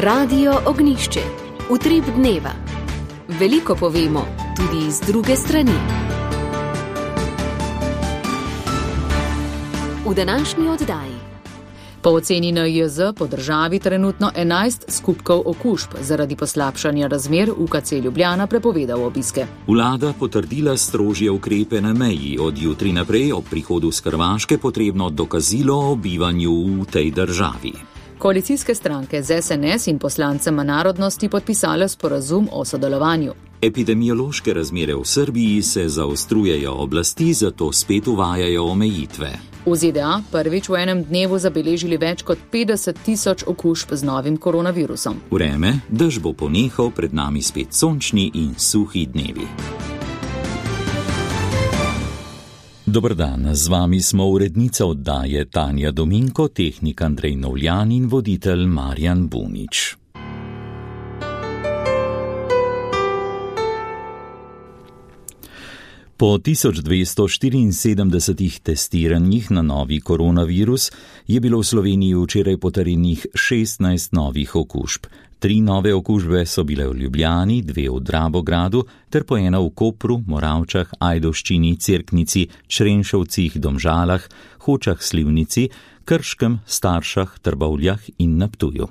Radio Ognjišče. Utrip dneva. Veliko povemo, tudi iz druge strani. V današnji oddaji. Po oceni NIJZ po državi trenutno 11 skupkov okužb zaradi poslabšanja razmer UKC Ljubljana prepovedal obiske. Vlada potrdila strožje ukrepe na meji. Od jutri naprej ob prihodu s Hrvaške potrebno dokazilo o bivanju v tej državi. Koalicijske stranke z SNS in poslancema narodnosti podpisale sporazum o sodelovanju. Epidemiološke razmere v Srbiji se zaostrujejo, oblasti zato spet uvajajo omejitve. V ZDA prvič v enem dnevu zabeležili več kot 50.000 okužb z novim koronavirusom. Vreme, dež bo ponehal, pred nami spet sončni in suhi dnevi. Dober dan, z vami smo urednica oddaje Tanja Dominko, tehnik Andrej Novljan in voditelj Marjan Bunič. Po 1274 testiranjih na novi koronavirus je bilo v Sloveniji včeraj potrjenih 16 novih okužb. 3 nove okužbe so bile v Ljubljani, 2 v Dravogradu ter po ena v Kopru, Moravčah, Ajdovščini, Cerknici, Črenšovcih, Domžalah, Hočah, Slivnici, Krškem, Staršah, Trbovljah in na Ptuju.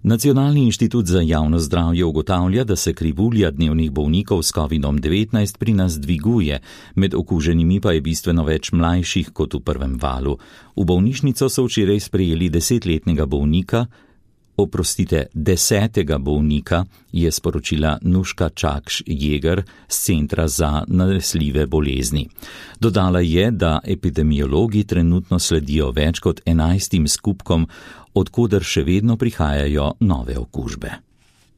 Nacionalni inštitut za javno zdravje ugotavlja, da se krivulja dnevnih bolnikov s COVID-19 pri nas dviguje, med okuženimi pa je bistveno več mlajših kot v prvem valu. V bolnišnico so včeraj sprejeli 10 bolnika, je sporočila Nuška Čakš-Jeger z Centra za nalezljive bolezni. Dodala je, da epidemiologi trenutno sledijo več kot 11 skupkom, odkoder še vedno prihajajo nove okužbe.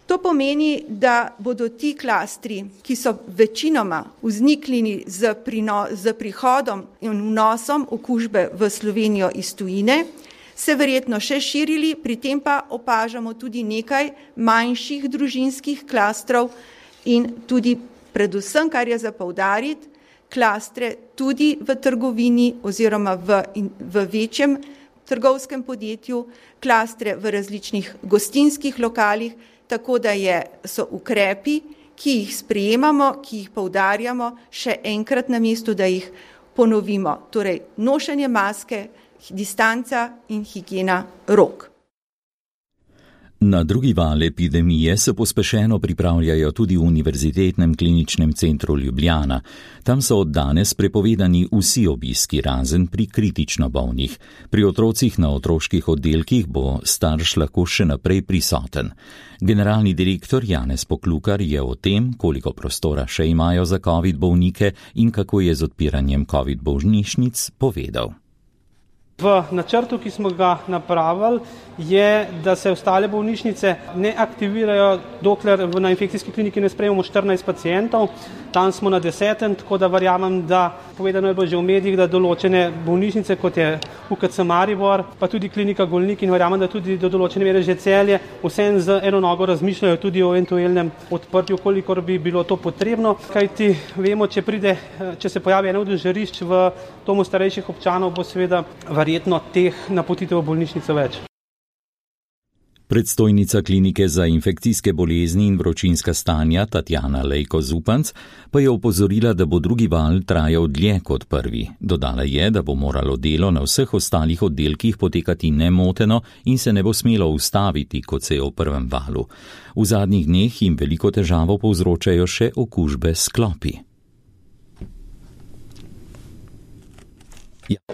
To pomeni, da bodo ti klastri, ki so večinoma vzniknili z prihodom in vnosom okužbe v Slovenijo iz tujine, se verjetno še širili, pri tem pa opažamo tudi nekaj manjših družinskih klastrov in tudi predvsem, kar je za poudariti, klastre tudi v trgovini oziroma v večjem trgovskem podjetju, klastre v različnih gostinskih lokalih, tako da so ukrepi, ki jih sprejemamo, ki jih poudarjamo, še enkrat na mestu, da jih ponovimo. Torej, nošenje maske, distanca in higiena rok. Na drugi val epidemije se pospešeno pripravljajo tudi v Univerzitetnem kliničnem centru Ljubljana. Tam so od danes prepovedani vsi obiski, razen pri kritično bolnih. Pri otrocih na otroških oddelkih bo starš lahko še naprej prisoten. Generalni direktor Janez Poklukar je o tem, koliko prostora še imajo za COVID bolnike in kako je z odpiranjem COVID bolnišnic, povedal. V načrtu, ki smo ga napravili, je, da se ostale bolnišnice ne aktivirajo, dokler na infekcijski kliniki ne sprejmemo 14 pacientov. Tam smo na 10, tako da verjamem, da povedano je bilo že v medijih, da določene bolnišnice, kot je UKC Maribor, pa tudi klinika Golnik in verjamem, da tudi do določene mere že Celje, vsem z eno nogo razmišljajo tudi o eventualnem odprtju, kolikor bi bilo to potrebno. Kajti vemo, če se pojavi eno od žarišč v domu starejših občanov, bo seveda verjetno teh napotitev v bolnišnico več. Predstojnica klinike za infekcijske bolezni in vročinska stanja Tatjana Lejko-Zupanc pa je opozorila, da bo drugi val trajal dlje kot prvi. Dodala je, da bo moralo delo na vseh ostalih oddelkih potekati nemoteno in se ne bo smelo ustaviti, kot se je v prvem valu. V zadnjih dneh jim veliko težavo povzročajo še okužbe s klopi.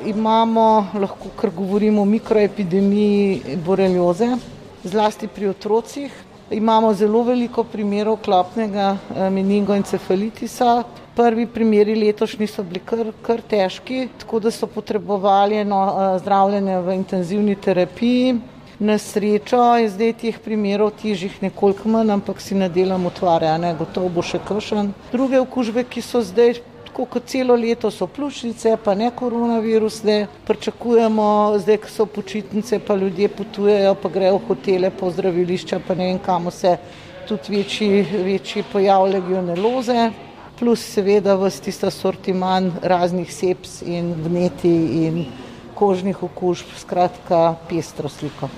Imamo, lahko kar govorimo o mikroepidemiji borelioze, zlasti pri otrocih. Imamo zelo veliko primerov klopnega meningoencefalitisa. Prvi primeri letošnji so bili kar težki, tako da so potrebovali zdravljenje v intenzivni terapiji. Na srečo je zdaj teh primerov težjih nekoliko manj, ampak si ne delam utvare, gotovo bo še kakšen. Druge okužbe, ki so zdaj kot celo leto, so pljučnice, pa ne koronavirus, pričakujemo, zdaj, ko so počitnice, pa ljudje potujejo, pa grejo v hotele, po zdravilišča, pa ne vem kamo se, tudi večji pojav legioneloze, plus seveda ves tista sortiman raznih seps in vneti in kožnih okužb, skratka pestro sliko.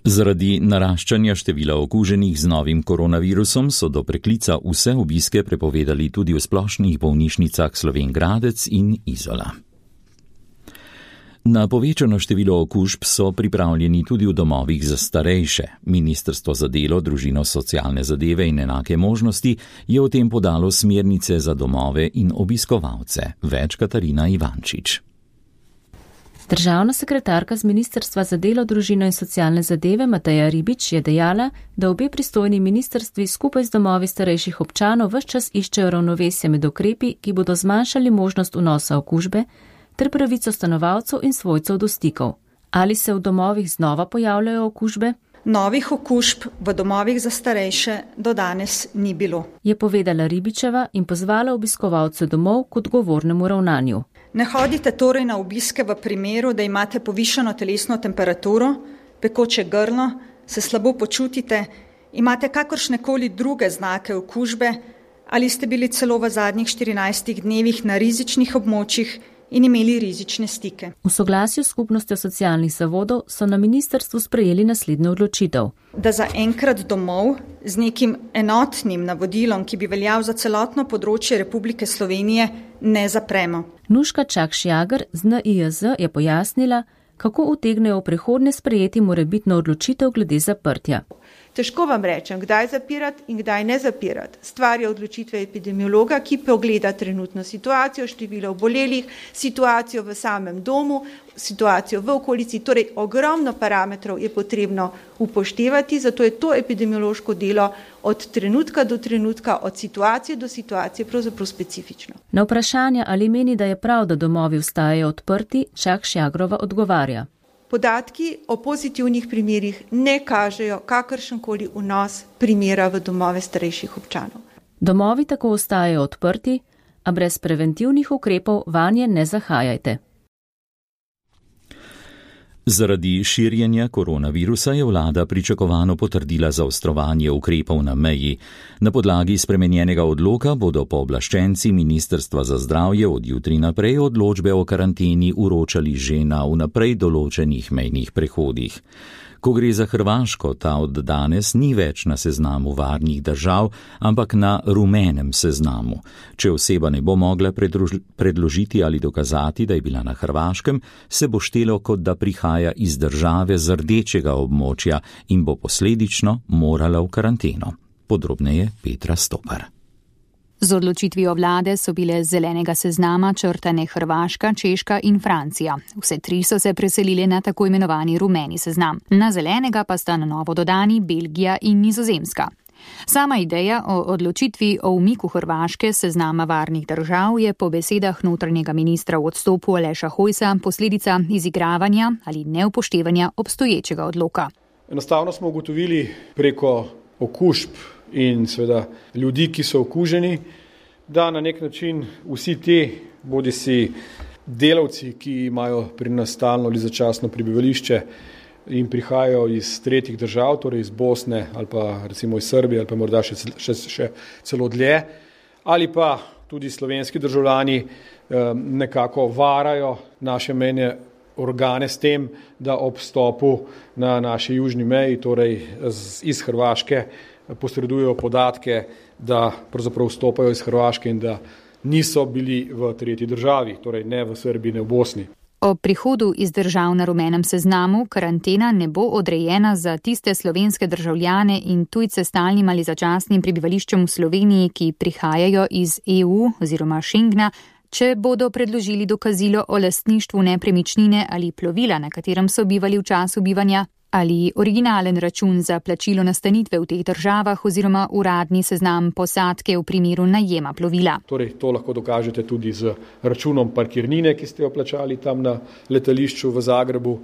Zaradi naraščanja števila okuženih z novim koronavirusom so do preklica vse obiske prepovedali tudi v splošnih bolnišnicah Slovenj Gradec in Izola. Na povečano število okužb so pripravljeni tudi v domovih za starejše. Ministrstvo za delo, družino, socialne zadeve in enake možnosti je o tem podalo smernice za domove in obiskovalce. Več Katarina Ivančič. Državna sekretarka z Ministrstva za delo, družino in socialne zadeve Mateja Ribič je dejala, da obe pristojni ministrstvi skupaj z domovi starejših občanov ves čas iščejo ravnovesje med ukrepi, ki bodo zmanjšali možnost vnosa okužbe, ter pravico stanovalcev in svojcev do stikov. Ali se v domovih znova pojavljajo okužbe? Novih okužb v domovih za starejše do danes ni bilo, je povedala Ribičeva in pozvala obiskovalce domov k odgovornemu ravnanju. Ne hodite torej na obiske v primeru, da imate povišano telesno temperaturo, pekoče grlo, se slabo počutite, imate kakršnekoli druge znake okužbe ali ste bili celo v zadnjih 14 dnevih na rizičnih območjih in imeli rizične stike. V soglasju s skupnostjo socialnih zavodov so na ministrstvu sprejeli naslednjo odločitev. Da za enkrat domov z nekim enotnim navodilom, ki bi veljal za celotno področje Republike Slovenije, ne zapremo. Nuška Čakš-Jager z NIJZ je pojasnila, kako utegnejo v prihodnje sprejeti morebitno odločitev glede zaprtja. Težko vam rečem, kdaj zapirati in kdaj ne zapirati. Stvar je odločitve epidemiologa, ki pogleda trenutno situacijo, število obolelih, situacijo v samem domu, situacijo v okolici. Torej, ogromno parametrov je potrebno upoštevati, zato je to epidemiološko delo od trenutka do trenutka, od situacije do situacije pravzaprav specifično. Na vprašanje, ali meni, da je prav, da domovi ostajajo odprti, Čakš-Jagrova odgovarja. Podatki o pozitivnih primerih ne kažejo kakršenkoli vnos primera v domove starejših občanov. Domovi tako ostajajo odprti, a brez preventivnih ukrepov vanje ne zahajajte. Zaradi širjenja koronavirusa je vlada pričakovano potrdila zaostrovanje ukrepov na meji. Na podlagi spremenjenega odloka bodo pooblaščenci Ministrstva za zdravje od jutri naprej odločbe o karanteni vročali že na vnaprej določenih mejnih prehodih. Ko gre za Hrvaško, ta od danes ni več na seznamu varnih držav, ampak na rumenem seznamu. Če oseba ne bo mogla predložiti ali dokazati, da je bila na Hrvaškem, se bo štelo, kot da prihaja iz države z rdečega območja in bo posledično morala v karanteno. Podrobneje Petra Stopar. Z odločitvijo vlade so bile z zelenega seznama črtane Hrvaška, Češka in Francija. Vse tri so se preselile na tako imenovani rumeni seznam. Na zelenega pa sta na novo dodani Belgija in Nizozemska. Sama ideja o odločitvi o umiku Hrvaške seznama varnih držav je po besedah notranjega ministra v odstopu Aleša Hojsa posledica izigravanja ali neupoštevanja obstoječega odloka. Enostavno smo ugotovili preko okužb in seveda ljudi, ki so okuženi, da na nek način vsi ti, bodisi delavci, ki imajo pri nas stalno ali začasno prebivališče in prihajajo iz tretjih držav, torej iz Bosne ali pa recimo iz Srbije ali pa morda še celo dlje, ali pa tudi slovenski državljani nekako varajo naše mejne organe s tem, da ob vstopu na naši južni meji, torej iz Hrvaške, posredujejo podatke, da pravzaprav vstopajo iz Hrvaške in da niso bili v tretji državi, torej ne v Srbiji, ne v Bosni. O prihodu iz držav na rumenem seznamu karantena ne bo odrejena za tiste slovenske državljane in tujce stalnim ali začasnim prebivališčem v Sloveniji, ki prihajajo iz EU oziroma Schengna, če bodo predložili dokazilo o lastništvu nepremičnine ali plovila, na katerem so bivali v času bivanja, ali originalen račun za plačilo nastanitve v teh državah oziroma uradni seznam posadke v primeru najema plovila. Torej, to lahko dokažete tudi z računom parkirnine, ki ste jo plačali tam na letališču v Zagrebu.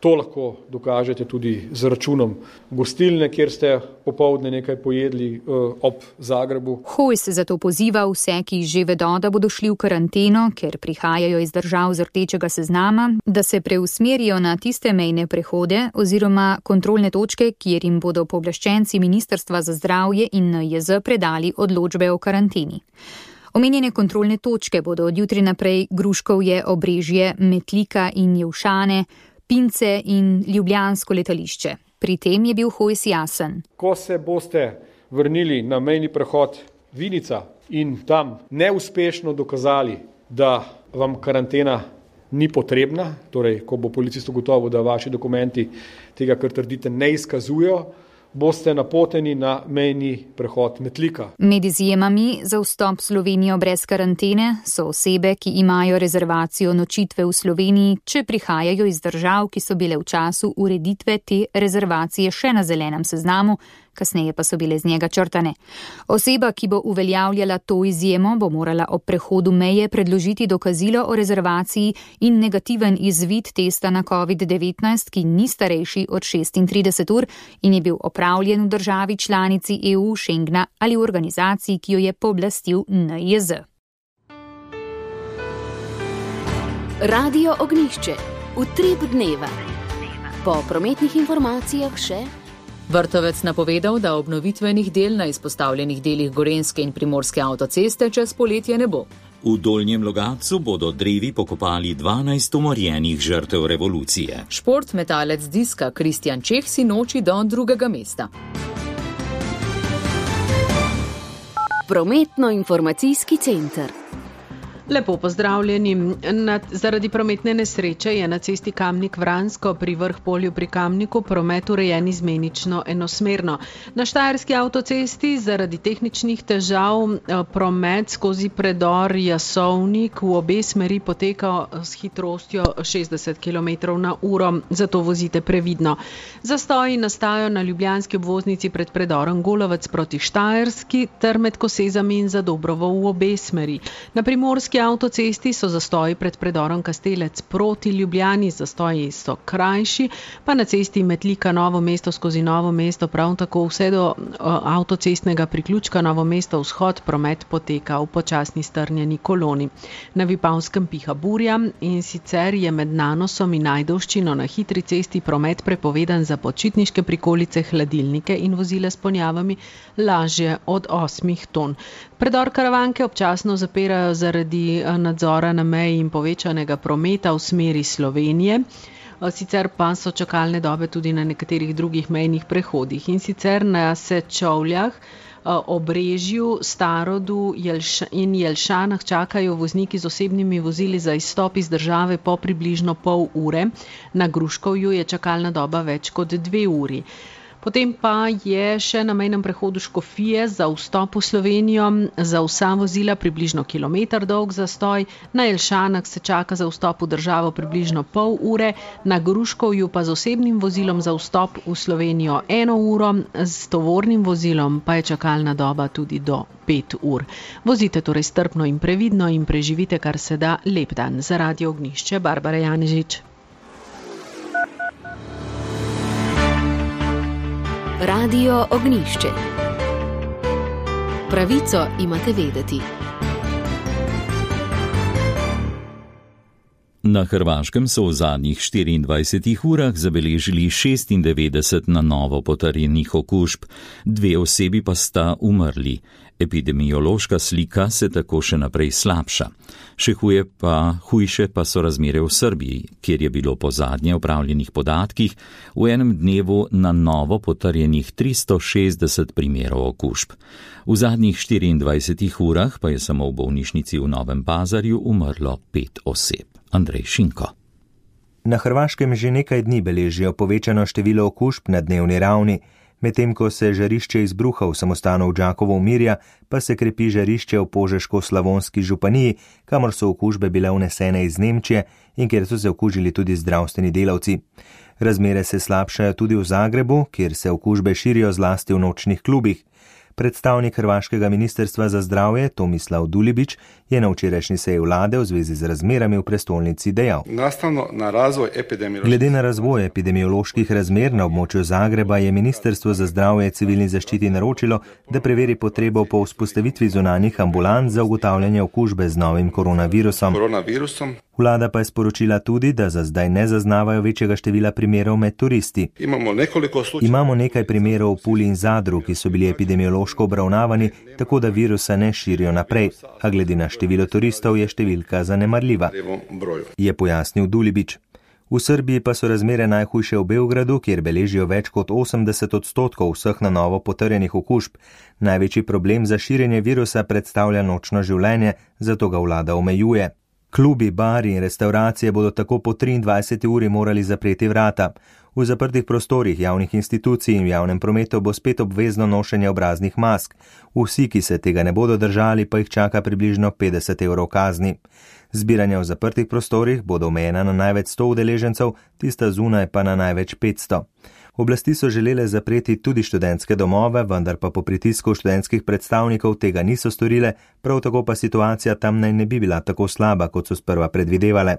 To lahko dokažete tudi z računom gostilne, kjer ste popoldne nekaj pojedli ob Zagrebu. Hojs zato poziva vse, ki že vedo, da bodo šli v karanteno, ker prihajajo iz držav z rdečega seznama, da se preusmerijo na tiste mejne prehode oziroma kontrolne točke, kjer jim bodo pooblaščenci Ministrstva za zdravje in NIJZ predali odločbe o karanteni. Omenjene kontrolne točke bodo od jutri naprej Gruškovje, Obrežje, Metlika in Jelšane, Pince in Ljubljansko letališče. Pri tem je bil Hojs jasen. Ko se boste vrnili na mejni prehod Vinica in tam neuspešno dokazali, da vam karantena ni potrebna, torej ko bo policist ugotovil, da vaši dokumenti tega, kar trdite, ne izkazujejo, boste napoteni na mejni prehod Metlika. Med izjemami za vstop v Slovenijo brez karantene so osebe, ki imajo rezervacijo nočitve v Sloveniji, če prihajajo iz držav, ki so bile v času ureditve te rezervacije še na zelenem seznamu, kasneje pa so bile z njega črtane. Oseba, ki bo uveljavljala to izjemo, bo morala ob prehodu meje predložiti dokazilo o rezervaciji in negativen izvid testa na COVID-19, ki ni starejši od 36 ur in je bil opravljen v državi članici EU, Schengna ali v organizaciji, ki jo je pooblastil NIJZ. Radio Ognjišče. Utrip dneva. Po prometnih informacijah še Vrtovec napovedal, da obnovitvenih del na izpostavljenih delih Gorenjske in Primorske avtoceste čez poletje ne bo. V Dolnjem Logatcu bodo drevi pokopali 12 umorjenih žrtev revolucije. Športmetalec diska Kristjan Čeh si noči do 2. mesta. Prometno-informacijski center. Lepo pozdravljeni. Zaradi prometne nesreče je na cesti Kamnik-Vransko pri Vrhpolju pri Kamniku promet urejen izmenično enosmerno. Na Štajerski avtocesti zaradi tehničnih težav promet skozi predor Jasovnik v obe smeri poteka s hitrostjo 60 km/h, zato vozite previdno. Zastoji nastajajo na ljubljanski obvoznici pred predorom Golovec proti Štajerski ter med Kosezami in Zadobrovo v obe smeri. Na Primorski avtocesti so zastoji pred predorom Kastelec proti Ljubljani, zastoji so krajši, pa na cesti Metlika Novo mesto skozi Novo mesto prav tako vse do avtocestnega priključka Novo mesto vzhod promet poteka v počasni strnjeni koloni. Na Vipavskem piha burja in sicer je med Nanosom in Ajdovščino na hitri cesti promet prepovedan za počitniške prikolice, hladilnike in vozile s ponjavami lažje od 8 ton. Predor Karavanke občasno zapirajo zaradi nadzora na meji in povečanega prometa v smeri Slovenije. Sicer pa so čakalne dobe tudi na nekaterih drugih mejnih prehodih. In sicer na Sečovljah, Obrežju, Starodu in Jelšanah čakajo vozniki z osebnimi vozili za izstop iz države po približno pol ure. Na Gruškovju je čakalna doba več kot 2 uri. Potem pa je še na mejnem prehodu Škofije za vstop v Slovenijo za vsa vozila približno kilometer dolg zastoj, na Jelšanah se čaka za vstop v državo približno pol ure, na Gruškovju pa z osebnim vozilom za vstop v Slovenijo 1 uro, s tovornim vozilom pa je čakalna doba tudi do 5 ur. Vozite torej strpno in previdno in preživite kar se da lep dan. Za Radio Ognjišče, Barbara Janežič. Radio Ognjišče. Pravico imate vedeti. Na Hrvaškem so v zadnjih 24 urah zabeležili 96 na novo potrjenih okužb, 2 osebi pa sta umrli. Epidemiološka slika se tako še naprej slabša. Še hujše pa so razmere v Srbiji, kjer je bilo po zadnje opravljenih podatkih v enem dnevu na novo potrjenih 360 primerov okužb. V zadnjih 24 urah pa je samo v bolnišnici v Novem Pazarju umrlo 5 oseb. Andrej Šinko. Na Hrvaškem že nekaj dni beležijo povečano število okužb na dnevni ravni. Medtem ko se žarišče izbruha v samostanu v Đakovo umirja, pa se krepi žarišče v Požeško-Slavonski županiji, kamor so okužbe bile vnesene iz Nemčije in kjer so se okužili tudi zdravstveni delavci. Razmere se slabšajo tudi v Zagrebu, kjer se okužbe širijo zlasti v nočnih klubih. Predstavnik Hrvaškega ministrstva za zdravje Tomislav Dulibić je na včerajšnji seji vlade v zvezi z razmerami v prestolnici dejal. Glede na razvoj epidemioloških razmer na območju Zagreba je Ministrstvo za zdravje civilni zaščiti naročilo, da preveri potrebo po vzpostavitvi zunanjih ambulant za ugotavljanje okužbe z novim koronavirusom. Vlada pa je sporočila tudi, da za zdaj ne zaznavajo večjega števila primerov med turisti. Imamo nekaj primerov v Puli in Zadru, ki so bili epidemiološko obravnavani, tako da virusa ne širijo naprej, a glede na število turistov je številka zanemarljiva, je pojasnil Dulibić. V Srbiji pa so razmere najhujše v Beogradu, kjer beležijo več kot 80% vseh na novo potrjenih okužb. Največji problem za širjenje virusa predstavlja nočno življenje, zato ga vlada omejuje. Klubi, bari in restauracije bodo tako po 23. uri morali zapreti vrata. V zaprtih prostorih javnih institucij in v javnem prometu bo spet obvezno nošenje obraznih mask. Vsi, ki se tega ne bodo držali, pa jih čaka približno 50 evrov kazni. Zbiranja v zaprtih prostorih bodo omejena na največ 100 udeležencev, tista zunaj pa na največ 500. Oblasti so želele zapreti tudi študentske domove, vendar pa po pritisku študentskih predstavnikov tega niso storile, prav tako pa situacija tam naj ne bi bila tako slaba, kot so sprva predvidevale.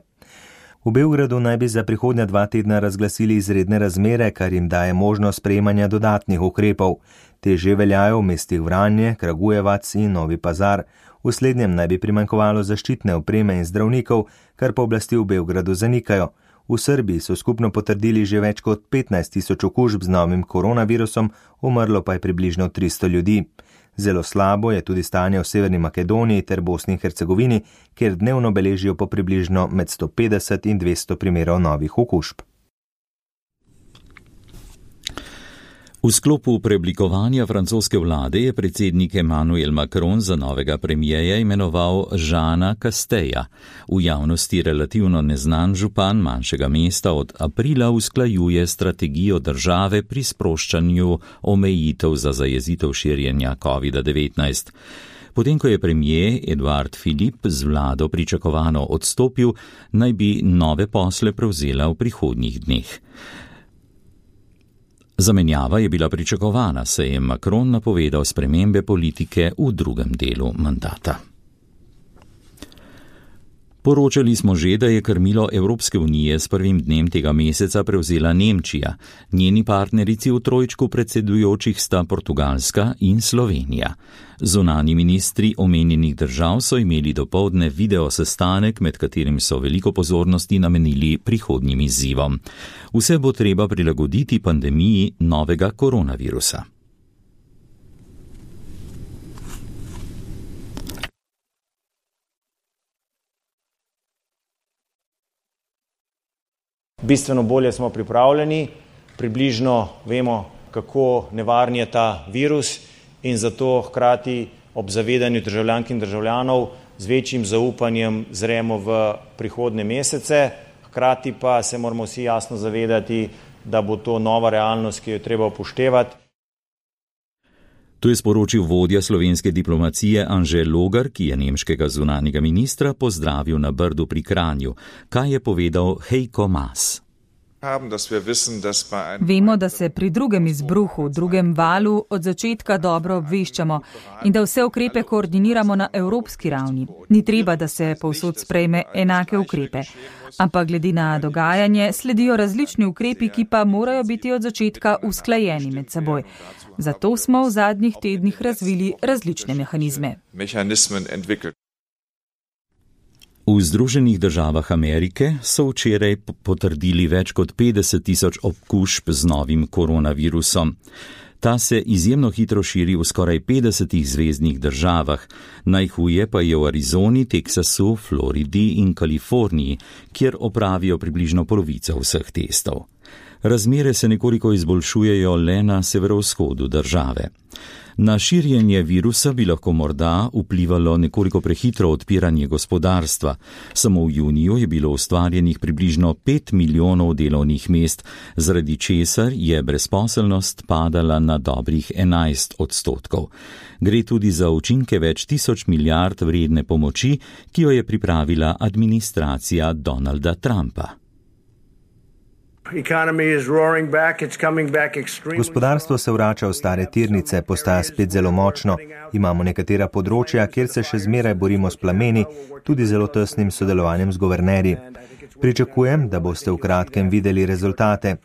V Beogradu naj bi za prihodnja 2 tedna razglasili izredne razmere, kar jim daje možnost sprejemanja dodatnih ukrepov. Te že veljajo v mestih Vranje, Kragujevac in Novi Pazar. V slednjem naj bi primanjkovalo zaščitne opreme in zdravnikov, kar pa oblasti v Beogradu zanikajo. V Srbiji so skupno potrdili že več kot 15.000 okužb z novim koronavirusom, umrlo pa je približno 300 ljudi. Zelo slabo je tudi stanje v Severni Makedoniji ter Bosni in Hercegovini, kjer dnevno beležijo po približno med 150 in 200 primerov novih okužb. V sklopu preoblikovanja francoske vlade je predsednik Emmanuel Macron za novega premijeja imenoval Jeana Casteja. V javnosti relativno neznan župan manjšega mesta od aprila usklajuje strategijo države pri sproščanju omejitev za zajezitev širjenja COVID-19. Potem, ko je premijer Edouard Philippe z vlado pričakovano odstopil, naj bi nove posle prevzela v prihodnjih dneh. Zamenjava je bila pričakovana, saj je Macron napovedal spremembe politike v drugem delu mandata. Poročali smo že, da je krmilo Evropske unije s prvim dnem tega meseca prevzela Nemčija. Njeni partnerici v trojčku predsedujočih sta Portugalska in Slovenija. Zunanji ministri omenjenih držav so imeli dopoldne video sestanek, med katerim so veliko pozornosti namenili prihodnjim izzivom. Vse bo treba prilagoditi pandemiji novega koronavirusa. Bistveno bolje smo pripravljeni, približno vemo, kako nevaren je ta virus in zato hkrati ob zavedanju državljank in državljanov z večjim zaupanjem zremo v prihodnje mesece. Hkrati pa se moramo vsi jasno zavedati, da bo to nova realnost, ki jo treba upoštevati. To je sporočil vodja slovenske diplomacije Anže Logar, ki je nemškega zunanjega ministra pozdravil na Brdu pri Kranju. Kaj je povedal Heiko Maas? Vemo, da se pri drugem izbruhu, drugem valu od začetka dobro obveščamo in da vse ukrepe koordiniramo na evropski ravni. Ni treba, da se povsod sprejme enake ukrepe, ampak glede na dogajanje sledijo različni ukrepi, ki pa morajo biti od začetka usklajeni med seboj. Zato smo v zadnjih tednih razvili različne mehanizme. V Združenih državah Amerike so včeraj potrdili več kot 50.000 okužb z novim koronavirusom. Ta se izjemno hitro širi v skoraj 50 zvezdnih državah. Najhuje pa je v Arizoni, Teksasu, Floridi in Kaliforniji, kjer opravijo približno polovico vseh testov. Razmere se nekoliko izboljšujejo le na severovzhodu države. Na širjenje virusa bi lahko morda vplivalo nekoliko prehitro odpiranje gospodarstva. Samo v juniju je bilo ustvarjenih približno 5 milijonov delovnih mest, zaradi česar je brezposelnost padala na dobrih 11%. Gre tudi za učinke več 1000 milijard vredne pomoči, ki jo je pripravila administracija Donalda Trumpa. Gospodarstvo se vrača v stare tirnice, postaja spet zelo močno. Imamo nekatera področja, kjer se še zmeraj borimo s plameni, tudi zelo tesnim sodelovanjem z guvernerji. Pričakujem, da boste v kratkem videli rezultate.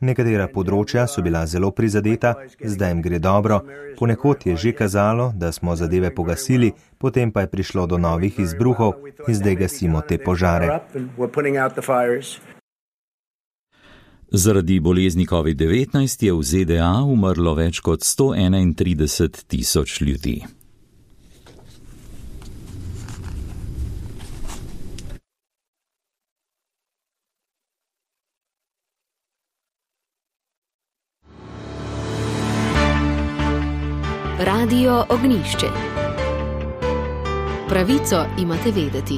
Nekatera področja so bila zelo prizadeta, zdaj jim gre dobro. Ponekod je že kazalo, da smo zadeve pogasili, potem pa je prišlo do novih izbruhov in zdaj gasimo te požare. Zaradi bolezni COVID-19 je v ZDA umrlo več kot 131.000 ljudi. Radio Ognišče. Pravico imate vedeti.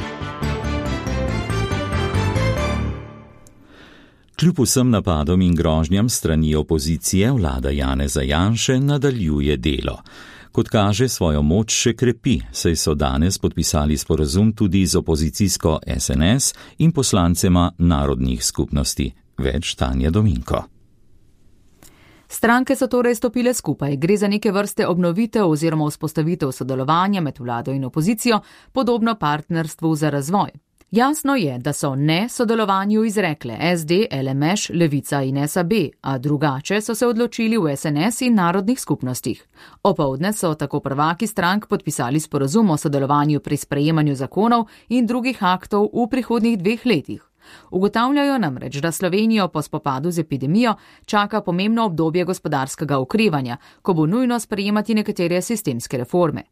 Kljub vsem napadom in grožnjam strani opozicije, vlada Janeza Janše nadaljuje delo. Kot kaže, svojo moč še krepi, saj so danes podpisali sporazum tudi z opozicijsko SNS in poslancema narodnih skupnosti. Več Tanja Dominko. Stranke so torej stopile skupaj. Gre za neke vrste obnovitev oziroma vzpostavitev sodelovanja med vlado in opozicijo, podobno partnerstvu za razvoj. Jasno je, da so ne sodelovanju izrekle SD, LMŠ, Levica in SAB, a drugače so se odločili v SNS in narodnih skupnostih. Opoldne so tako prvaki strank podpisali sporazum o sodelovanju pri sprejemanju zakonov in drugih aktov v prihodnjih 2 letih. Ugotavljajo namreč, da Slovenijo po spopadu z epidemijo čaka pomembno obdobje gospodarskega okrevanja, ko bo nujno sprejemati nekatere sistemske reforme.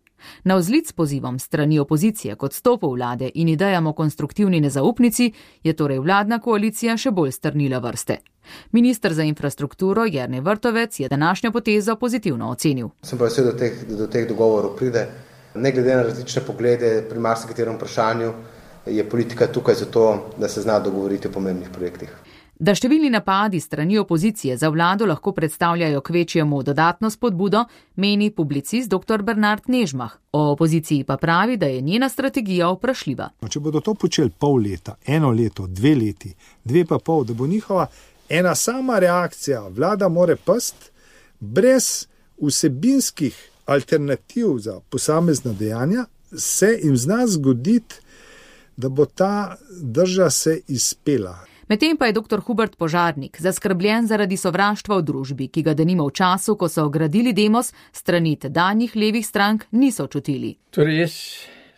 Navzlic pozivom strani opozicije kot stopu vlade in idejam o konstruktivni nezaupnici je torej vladna koalicija še bolj strnila vrste. Minister za infrastrukturo Jernej Vrtovec je današnjo potezo pozitivno ocenil. Sem pa vesel, da do teh dogovorov pride. Ne glede na različne poglede pri marsikaterem vprašanju, je politika tukaj zato, da se zna dogovoriti o pomembnih projektih. Da številni napadi strani opozicije za vlado lahko predstavljajo kvečjemu dodatno spodbudo, meni publicist dr. Bernard Nežmah. O opoziciji pa pravi, da je njena strategija vprašljiva. Če bodo to počeli pol leta, 1 leto, 2 leti, 2,5, da bo njihova ena sama reakcija, vlada more past, brez vsebinskih alternativ za posamezna dejanja, se jim zna zgoditi, da bo ta drža se izpela. Medtem pa je dr. Hubert Požarnik zaskrbljen zaradi sovraštva v družbi, ki ga denimo v času, ko so gradili Demos, strani tedanjih levih strank niso čutili. Torej jaz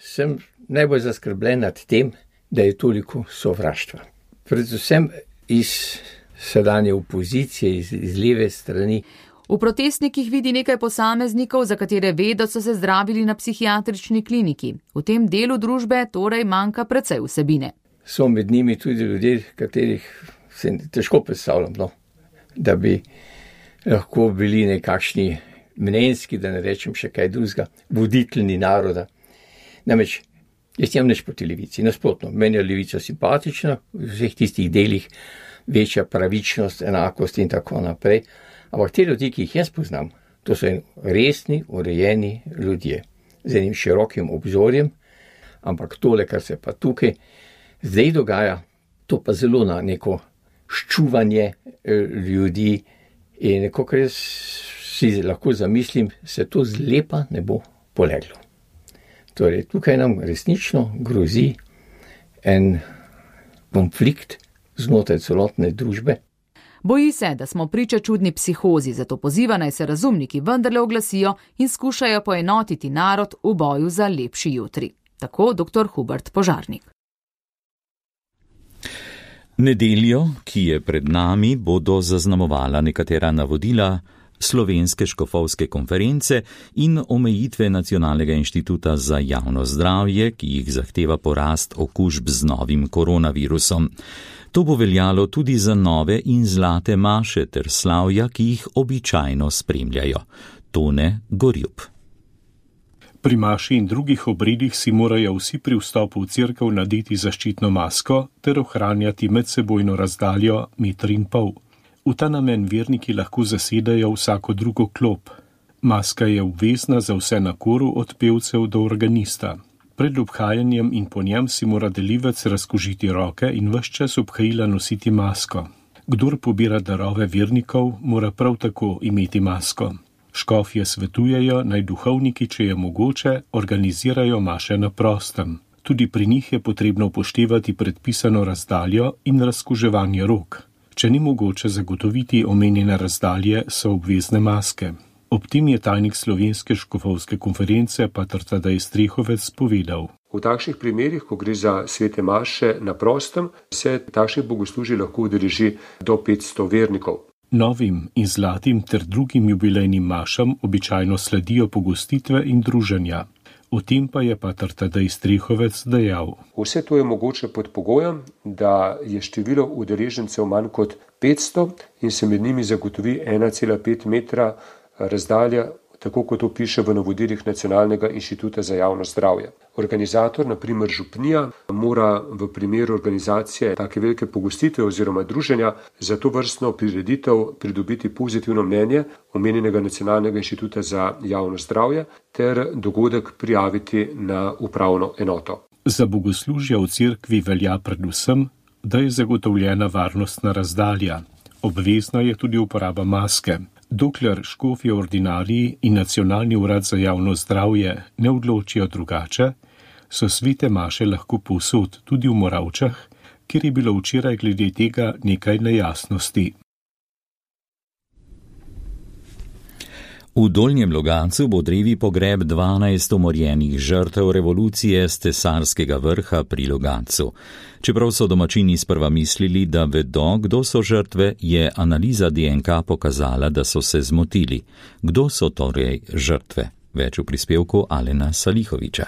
sem najbolj zaskrbljen nad tem, da je toliko sovraštva. Predvsem iz sedanje opozicije, iz leve strani. V protestnikih vidi nekaj posameznikov, za katere ve, da so se zdravili na psihiatrični kliniki. V tem delu družbe torej manjka precej vsebine. So med njimi tudi ljudje, katerih se težko predstavljam, da bi lahko bili nekakšni mnenjski, da ne rečem še kaj drugega, voditeljni naroda. Namreč, jaz nimam nič proti levici, nasprotno, meni je levica simpatična, v vseh tistih delih večja pravičnost, enakost in tako naprej. Ampak te ljudi, ki jih jaz poznam, to so resni, urejeni ljudje, z enim širokim obzorjem, ampak tole, kar se pa tukaj zdaj dogaja, to pa zelo na neko ščuvanje ljudi in neko, kar jaz si lahko zamislim, se to zlepa ne bo poleglo. Torej, tukaj nam resnično grozi en konflikt znotraj celotne družbe. Boji se, da smo priča čudni psihozi, zato poziva naj se razumniki vendarle oglasijo in skušajo poenotiti narod v boju za lepši jutri. Tako dr. Hubert Požarnik. Nedeljo, ki je pred nami, bodo zaznamovala nekatera navodila Slovenske škofovske konference in omejitve Nacionalnega inštituta za javno zdravje, ki jih zahteva porast okužb z novim koronavirusom. To bo veljalo tudi za nove in zlate maše ter slavja, ki jih običajno spremljajo. Tone Gorjup. Pri maši in drugih obredih si morajo vsi pri vstopu v cerkev nadeti zaščitno masko ter ohranjati medsebojno razdaljo 1,5 metra. V ta namen verniki lahko zasedajo vsako drugo klop. Maska je obvezna za vse na koru od pevcev do organista. Pred obhajanjem in po njem si mora delivec razkožiti roke in ves čas obhajila nositi masko. Kdor pobira darove vernikov, mora prav tako imeti masko. Škofje svetujejo, naj duhovniki, če je mogoče, organizirajo maše na prostem. Tudi pri njih je potrebno upoštevati predpisano razdaljo in razkuževanje rok. Če ni mogoče zagotoviti omenjene razdalje, so obvezne maske. Ob tem je tajnik Slovenske škofovske konference pater Tadej Strehovec povedal. V takšnih primerih, ko gre za svete maše na prostem, se takšnih bogoslužij lahko udeleži do 500 vernikov. Novim in zlatim ter drugim jubilejnim mašam običajno sledijo pogostitve in druženja. O tem pa je pater Tadej Strehovec dejal. Vse to je mogoče pod pogojem, da je število udeležencev manj kot 500 in se med njimi zagotovi 1,5 metra razdalja tako kot to piše v navodilih Nacionalnega inštituta za javno zdravje. Organizator, na primer župnija, mora v primeru organizacije take velike pogostitve oziroma druženja za to vrstno prireditev pridobiti pozitivno mnenje omenjenega Nacionalnega inštituta za javno zdravje ter dogodek prijaviti na upravno enoto. Za bogoslužja v cerkvi velja predvsem, da je zagotovljena varnostna razdalja. Obvezna je tudi uporaba maske. Dokler škofje ordinariji in Nacionalni urad za javno zdravje ne odločijo drugače, so svete maše lahko povsod, tudi v Moravčah, kjer je bilo včeraj glede tega nekaj nejasnosti. V Dolnjem Logatcu bo drevi pogreb 12 umorjenih žrtev revolucije s Tesarskega vrha pri Logatcu. Čeprav so domačini sprva mislili, da vedo, kdo so žrtve, je analiza DNK pokazala, da so se zmotili. Kdo so torej žrtve? Več v prispevku Alena Salihoviča.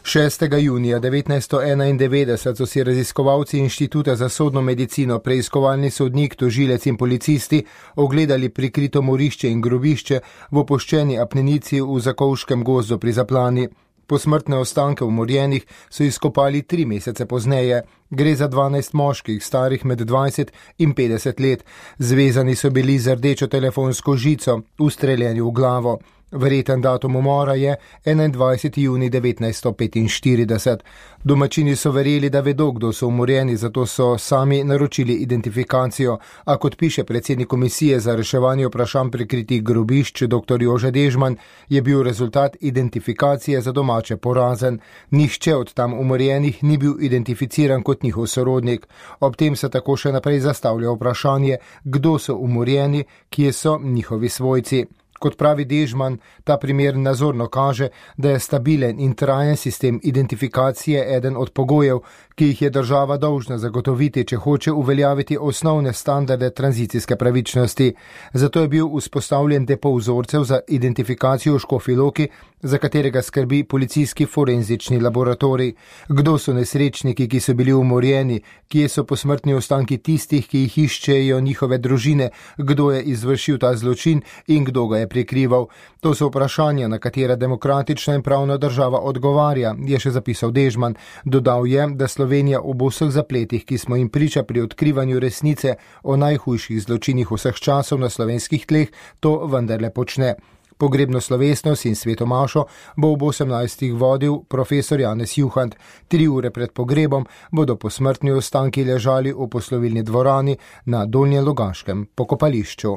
6. junija 1991 so si raziskovalci Inštituta za sodno medicino, preiskovalni sodnik, tožilec in policisti ogledali prikrito morišče in grobišče v opuščeni apnenici v Zakovškem gozdu pri Zaplani. Posmrtne ostanke umorjenih so izkopali 3 mesece pozneje. Gre za 12 moških, starih med 20 in 50 let. Zvezani so bili z rdečo telefonsko žico, ustreljeni v glavo. Verjeten datum umora je 21. junij 1945. Domačini so verjeli, da vedo, kdo so umorjeni, zato so sami naročili identifikacijo, a kot piše predsednik komisije za reševanje vprašanj prikritih grobišč dr. Jože Dežman, je bil rezultat identifikacije za domače porazen. Nihče od tam umorjenih ni bil identificiran kot njihov sorodnik. Ob tem se tako še naprej zastavlja vprašanje, kdo so umorjeni, kje so njihovi svojci. Kot pravi Dežman, ta primer nazorno kaže, da je stabilen in trajen sistem identifikacije eden od pogojev, ki jih je država dolžna zagotoviti, če hoče uveljaviti osnovne standarde tranzicijske pravičnosti. Zato je bil vzpostavljen depo vzorcev za identifikacijo v Škofji Loki, za katerega skrbi policijski forenzični laboratorij. Kdo so nesrečniki, ki so bili umorjeni, kje so posmrtni ostanki tistih, ki jih iščejo njihove družine, kdo je izvršil ta zločin in kdo ga je prikrival. To so vprašanja, na katera demokratična in pravna država odgovarja, je še zapisal Dežman. Dodal je, da Slovenija ob vseh zapletih, ki smo jim priča pri odkrivanju resnice o najhujših zločinih vseh časov na slovenskih tleh, to vendarle počne. Pogrebno slovesnost in svetomašo bo ob 18. vodil profesor Janez Juhant. 3 ure pred pogrebom bodo posmrtni ostanki ležali v poslovilni dvorani na Dolnjem Logaškem pokopališču.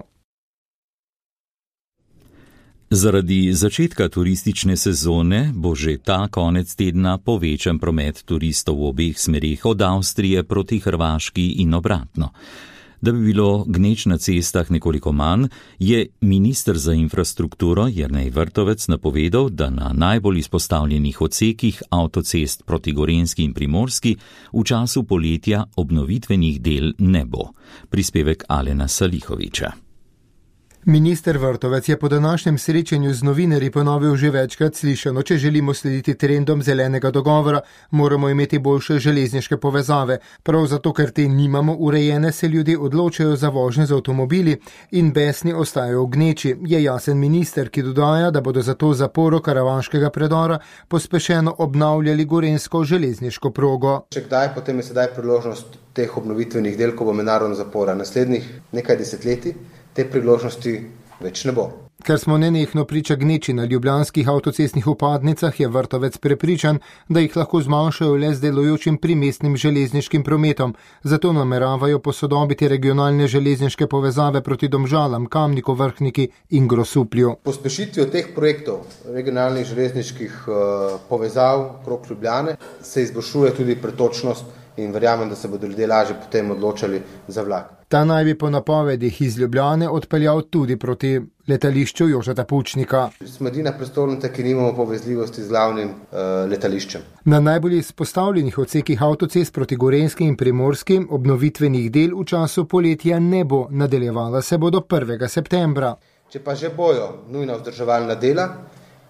Zaradi začetka turistične sezone bo že ta konec tedna povečan promet turistov v obeh smerih od Avstrije proti Hrvaški in obratno. Da bi bilo gneč na cestah nekoliko manj, je minister za infrastrukturo Jernej Vrtovec napovedal, da na najbolj izpostavljenih odsekih avtocest proti Gorenjski in Primorski v času poletja obnovitvenih del ne bo. Prispevek Alena Salihoviča. Minister Vrtovec je po današnjem srečanju z novinarji ponovil že večkrat slišano, če želimo slediti trendom zelenega dogovora, moramo imeti boljše železniške povezave. Prav zato, ker te nimamo urejene, se ljudje odločajo za vožnje z avtomobili in besni ostajajo v gneči, je jasen minister, ki dodaja, da bodo zato zaporo karavanškega predora pospešeno obnavljali gorenjsko železniško progo. Če kdaj, potem je sedaj priložnost teh obnovitvenih del, ko bo mednarodna zapora naslednjih nekaj desetletij. Te priložnosti več ne bo. Ker smo nenehno priča gneči na ljubljanskih avtocestnih vpadnicah, je Vrtovec prepričan, da jih lahko zmanjšajo le z delujočim primestnim železniškim prometom. Zato nameravajo posodobiti regionalne železniške povezave proti Domžalam, Kamniku, Vrhniki in Grosuplju. Pospešitvijo teh projektov regionalnih železniških povezav okrog Ljubljane se izboljšuje tudi pretočnost in verjamem, da se bodo ljudje lažje potem odločali za vlak. Ta naj bi po napovedih iz Ljubljane odpeljal tudi proti letališču Jožeta Pučnika. Smo edina prestolnica, ki nimamo povezljivosti z glavnim letališčem. Na najbolj izpostavljenih odsekih avtocest proti Gorenjski in Primorski obnovitvenih del v času poletja ne bo, nadaljevala se bo do 1. septembra. Če pa že bojo nujna vzdrževalna dela,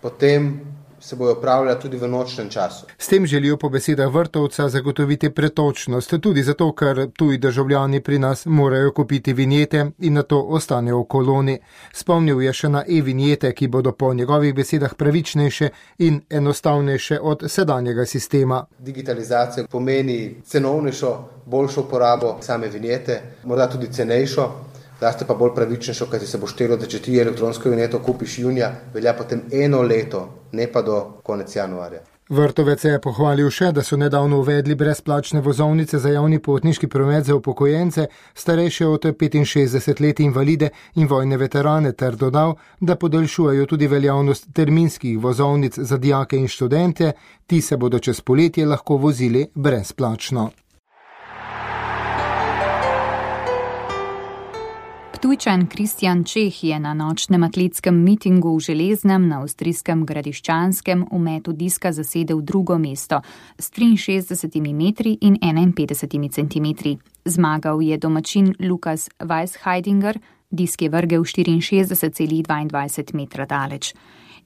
potem se bojo opravljala tudi v nočnem času. S tem želijo po besedah Vrtovca zagotoviti pretočnost, tudi zato, ker tuji državljani pri nas morajo kupiti vinjete in na to ostanejo v koloni. Spomnil je še na e-vinjete, ki bodo po njegovih besedah pravičnejše in enostavnejše od sedanjega sistema. Digitalizacija pomeni cenovnejšo, boljšo uporabo same vinjete, morda tudi cenejšo, zlasti pa bolj pravičnejšo, kajti se bo štelo, da če ti elektronsko vinjeto kupiš junija, velja potem 1 leto, ne pa do konec januarja. Vrtovec je pohvalil še, da so nedavno uvedli brezplačne vozovnice za javni potniški promet za upokojence, starejše od 65 let, invalide in vojne veterane, ter dodal, da podaljšujejo tudi veljavnost terminskih vozovnic za dijake in študente, ti se bodo čez poletje lahko vozili brezplačno. Ptujčan Kristjan Čeh je na nočnem atletskem mitingu v Železnem na avstrijskem Gradiščanskem v metu diska zasedel 2. mesto s 63 metri in 51 centimetri. Zmagal je domačin Lukas Weisheidinger, disk je vrgel 64,22 metra daleč.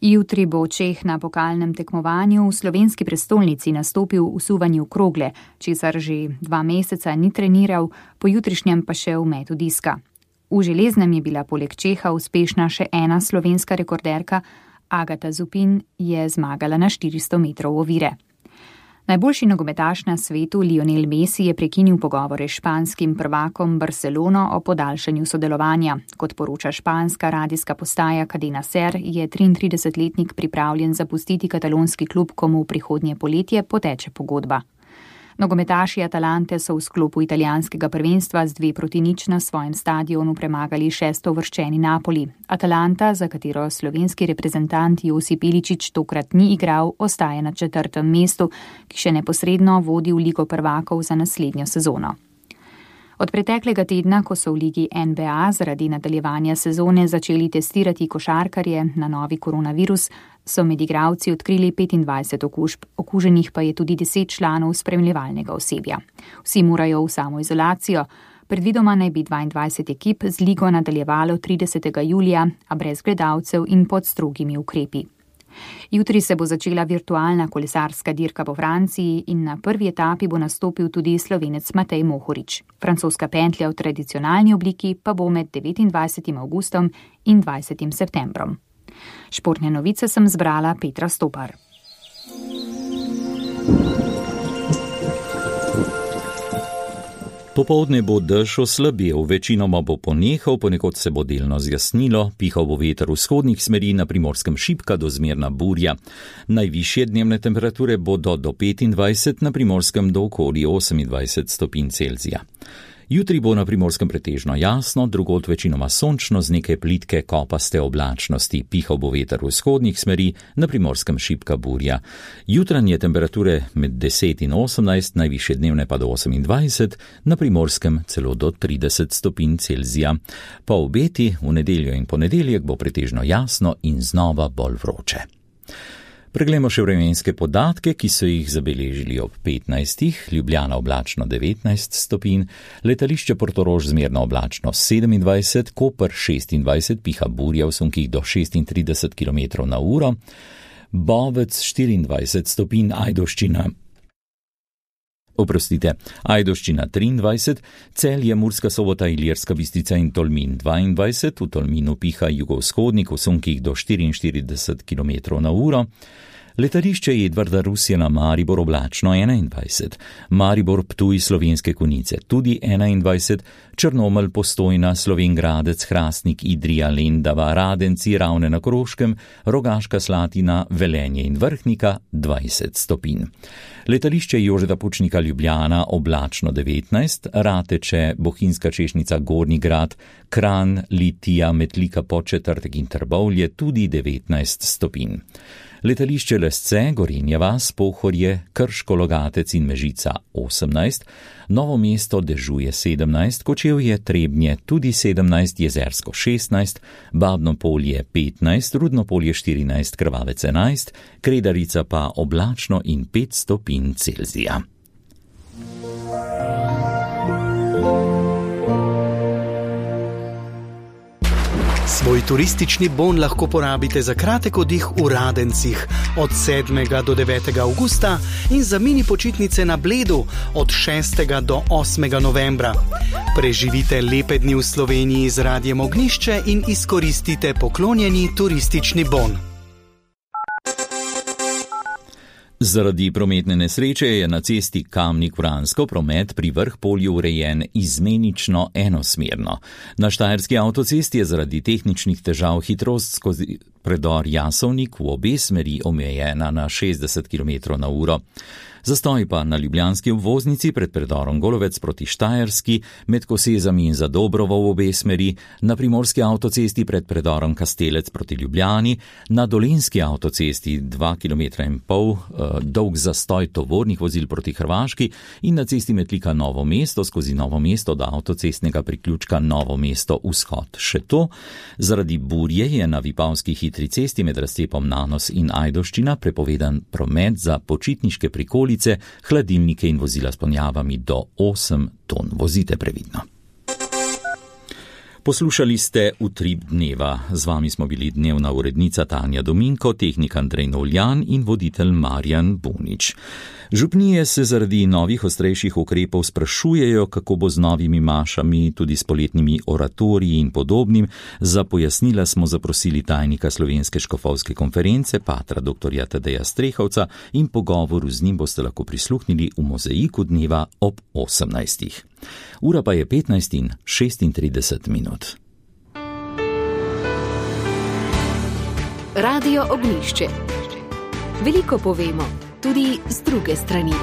Jutri bo Čeh na pokalnem tekmovanju v slovenski prestolnici nastopil v suvanju krogle, česar že 2 meseca ni treniral, po jutrišnjem pa še v metu diska. V Železnem je bila poleg Čeha uspešna še ena slovenska rekorderka, Agata Zupin je zmagala na 400 metrov ovire. Najboljši nogometaš na svetu Lionel Messi je prekinil pogovore s španskim prvakom Barcelono o podaljšanju sodelovanja. Kot poroča španska radijska postaja Cadena Ser, je 33-letnik pripravljen zapustiti katalonski klub, komu v prihodnje poletje poteče pogodba. Nogometaši Atalante so v sklopu italijanskega prvenstva z 2-0 na svojem stadionu premagali 6. uvrščeni Napoli. Atalanta, za katero slovenski reprezentant Josip Iličić tokrat ni igral, ostaja na 4. mestu, ki še neposredno vodi v Ligo prvakov za naslednjo sezono. Od preteklega tedna, ko so v ligi NBA zaradi nadaljevanja sezone začeli testirati košarkarje na novi koronavirus, so med igralci odkrili 25 okužb, okuženih pa je tudi 10 članov spremljevalnega osebja. Vsi morajo v samoizolacijo. Predvidoma naj bi 22 ekip z ligo nadaljevalo 30. julija, a brez gledalcev in pod strogimi ukrepi. Jutri se bo začela virtualna kolesarska dirka po Franciji in na prvi etapi bo nastopil tudi Slovenec Matej Mohorič. Francoska pentlja v tradicionalni obliki pa bo med 29. avgustom in 20. septembrom. Športne novice sem zbrala Petra Stopar. Popoldne bo dež oslabel, večinoma bo ponehal, ponekod se bo delno zjasnilo, pihal bo veter vzhodnih smeri, na Primorskem šibka do zmerna burja. Najvišje dnevne temperature bodo do 25, na Primorskem do okoli 28 stopinj Celzija. Jutri bo na Primorskem pretežno jasno, drugod večinoma sončno z nekaj plitke kopaste oblačnosti, pihal bo veter vzhodnih smeri, na Primorskem šibka burja. Jutranje temperature med 10 in 18, najvišje dnevne pa do 28, na Primorskem celo do 30 stopinj Celzija. Po obeti v nedeljo in ponedeljek bo pretežno jasno in znova bolj vroče. Preglejmo še vremenske podatke, ki so jih zabeležili ob 15. Ljubljana oblačno 19 stopinj, letališče Portorož zmerno oblačno 27, Koper 26, piha burja v sunkih do 36 km/h, Bovec 24 stopinj, Ajdovščina 23, Celje, Murska Sobota, Ilirska Bistrica in Tolmin 22, v Tolminu piha jugovzhodnik v sunkih do 44 km/h, letališče Edvarda Rusjana Maribor oblačno 21, Maribor Ptuj Slovenske Konjice tudi 21, Črnomelj Postojna, Slovenj Gradec, Hrastnik, Idrija, Lendava, Radenci, Ravne na Koroškem, Rogaška Slatina, Velenje in Vrhnika 20 stopinj. Letališče Jožeta Pučnika Ljubljana oblačno 19, Rateče, Bohinjska Češnica, Gornji Grad, Kranj, Litija, Metlika, Podčetrtek in Trbovlje tudi 19 stopinj. Letališče Lesce, Gorenja vas, Pohorje, Krško, Logatec in Mežica 18, Novo mesto dežuje 17, Kočevje, Trebnje tudi 17, Jezersko 16, Babno Polje 15, Rudno Polje 14, Krvavec 11, Kredarica pa oblačno in 5 stopinj Celzija. Si Svoj turistični bon lahko porabite za kratek oddih v Radencih od 7. do 9. avgusta in za mini počitnice na Bledu od 6. do 8. novembra. Preživite lepe dni v Sloveniji z Radiem Ognjišče in izkoristite poklonjeni turistični bon. Zaradi prometne nesreče je na cesti Kamnik-Vransko promet pri Vrhpolju urejen izmenično enosmerno. Na štajerski avtocesti je zaradi tehničnih težav hitrost skozi predor Jasovnik v obe smeri omejena na 60 km/h. Zastoj pa na ljubljanski obvoznici pred predorom Golovec proti Štajerski, med Kosezami in Zadobrovo v obe smeri, na primorski avtocesti pred predorom Kastelec proti Ljubljani, na dolenjski avtocesti 2,5 km dolg zastoj tovornih vozil proti Hrvaški in na cesti Metlika Novo mesto skozi Novo mesto do avtocestnega priključka Novo mesto vzhod. Še to, zaradi burje je na Vipavski hitri cesti med razcepom Nanos in Ajdovščina prepovedan promet za počitniške prikolice, hladilnike in vozila s ponjavami do 8 ton. Vozite previdno. Poslušali ste Utrip dneva. Z vami smo bili dnevna urednica Tanja Dominko, tehnik Andrej Novljan in voditelj Marjan Bunič. Župnije se zaradi novih ostrejših ukrepov sprašujejo, kako bo z novimi mašami, tudi s poletnimi oratoriji in podobnim. Za pojasnila smo zaprosili tajnika Slovenske škofovske konference, patra dr. Tadeja Strehovca, in pogovoru z njim boste lahko prisluhnili v Mozaiku dneva ob 18. Ura pa je 15:36. Radio Ognjišče. Veliko povemo, tudi z druge strani.